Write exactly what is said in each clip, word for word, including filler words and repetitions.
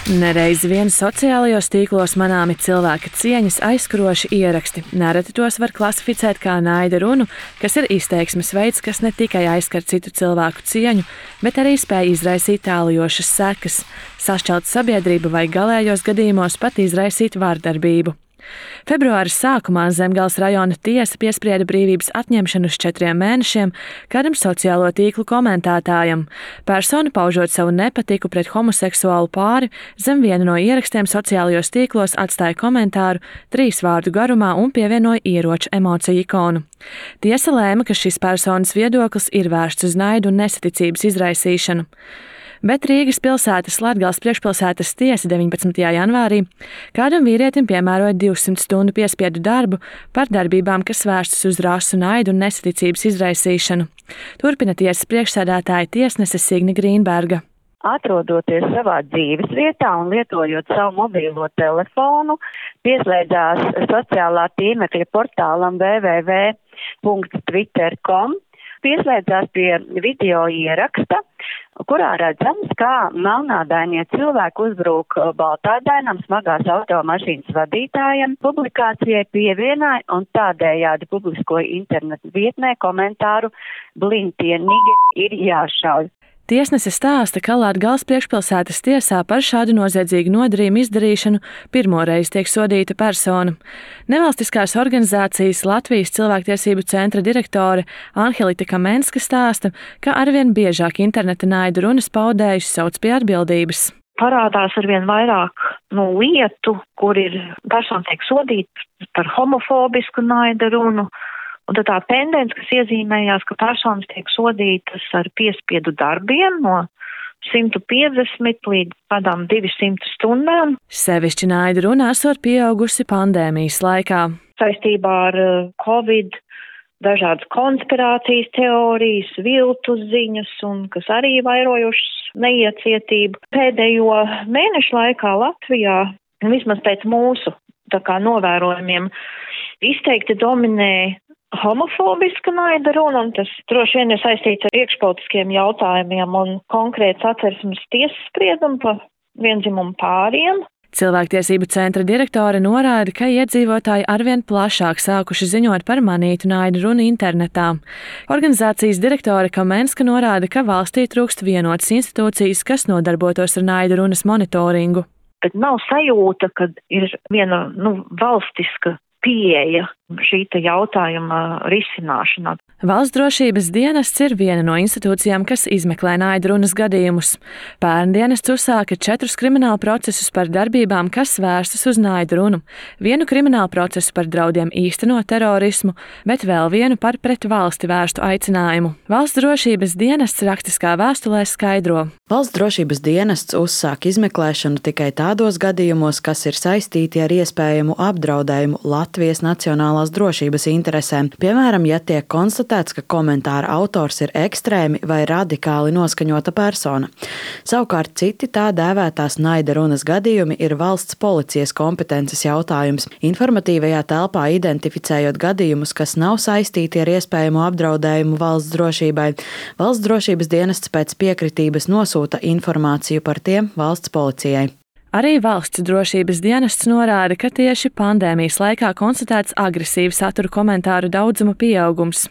Nereiz vien sociālajos tīklos manāmi cilvēka cieņas aizkuroši ieraksti. Nereti tos var klasificēt kā naida runu, kas ir izteiksmes veids, kas ne tikai aizskar citu cilvēku cieņu, bet arī spēj izraisīt tālajošas sekas, sašķelt sabiedrību vai galējos gadījumos pat izraisīt vardarbību. Februāra sākumā Zemgales rajona tiesa piesprieda brīvības atņemšanu uz četriem mēnešiem kādam sociālo tīklu komentētājam. Persona, paužot savu nepatiku pret homoseksuālu pāri, zem viena no ierakstiem sociālajos tīklos atstāja komentāru trīs vārdu garumā un pievienoja ieroču emociju ikonu. Tiesa lēma, ka šis personas viedoklis ir vērsts uz naidu un nesaticības izraisīšanu. Bet Rīgas pilsētas Latgales priekšpilsētas tiesa deviņpadsmitajā janvārī kādam vīrietim piemēroja divsimt stundu piespiedu darbu par darbībām, kas vērstas uz rasu, naidu un nesaticības izraisīšanu. Turpina tiesas priekšsēdētāja tiesnese Signe Grīnberga. Atrodoties savā dzīves vietā un lietojot savu mobīlo telefonu, pieslēdzās sociālā tīmekļa portālam w w w punkts twitter punkts com, pieslēdzās pie video ieraksta, kurā redzams, kā melnādainie cilvēki uzbrūk baltādainam smagās automašīnas vadītājam. Publikācijai pievienoja un tādējādi publiskoja internetu vietnē komentāru "Blintie nigeri ir jāšauj". Tiesnese stāsta, ka Latgales priekšpilsētas tiesā par šādu noziedzīgu nodarījumu izdarīšanu pirmoreiz tiek sodīta persona. Nevalstiskās organizācijas Latvijas cilvēktiesību centra direktore Anhelita Kamenska stāsta, ka arvien biežāk interneta naida runas paudējus sauc pie atbildības. Parādās arvien vairāk nu, lietu, kur ir persona tiek sodīta par homofobisku naida runu. Un tad tā tendence, kas iezīmējās, ka personas tiek sodītas ar piespiedu darbiem no simt piecdesmit līdz kādām divsimt stundām. Sevišķi naida runa esot pieaugusi pandēmijas laikā. Saistībā ar Covid dažādas konspirācijas teorijas, viltus ziņas, un kas arī vairojušas neiecietību. Pēdējo mēnešu laikā Latvijā, vismaz pēc mūsu tā kā novērojumiem, izteikti dominē homofobiska naida runa, un tas droši vien ir saistīts ar iekšpolitiskiem jautājumiem un konkrēts atversmes tiesas spriedumu par viendzimumu pāriem. Cilvēktiesību centra direktore norāda, ka iedzīvotāji arvien plašāk sākuši ziņot par manītu naida runu internetā. Organizācijas direktore Kamenska norāda, ka valstī trūkst vienotas institūcijas, kas nodarbotos ar naida runas monitoringu. Bet nav sajūta, ka ir viena nu, valstiska pieeja šī jautājuma risināšanā. Valsts drošības dienests ir viena no institūcijām, kas izmeklē naida runas gadījumus. Pērn dienests uzsāka četrus kriminālu procesus par darbībām, kas vērstas uz naida runu, vienu kriminālu procesu par draudiem īstenot terorismu, bet vēl vienu par pret valsti vērstu aicinājumu. Valsts drošības dienests rakstiskā vēstulē skaidro. Valsts drošības dienests uzsāk izmeklēšanu tikai tādos gadījumos, kas ir saistīti ar iespējamu apdraudējumu Latvijas nacionālās drošības interesēm. Piemēram, ja tiek konstatēts, ka komentāra autors ir ekstrēmi vai radikāli noskaņota persona. Savukārt citi tā dēvētās naida runas gadījumi ir valsts policijas kompetences jautājums. Informatīvajā telpā identificējot gadījumus, kas nav saistīti ar iespējamo apdraudējumu valsts drošībai, valsts drošības dienests pēc piekritības nosūta informāciju par tiem valsts policijai. Arī valsts drošības dienests norāda, ka tieši pandēmijas laikā konstatēts agresīvu satura komentāru daudzuma pieaugums.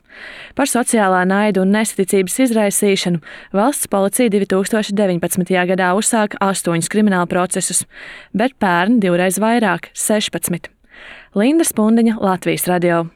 Par sociālā naida un nesaticības izraisīšanu valsts policija divi tūkstoši deviņpadsmitajā gadā uzsāka astoņus kriminālu procesus, bet pērn divreiz vairāk – sešpadsmit. Linda Spundiņa, Latvijas radio.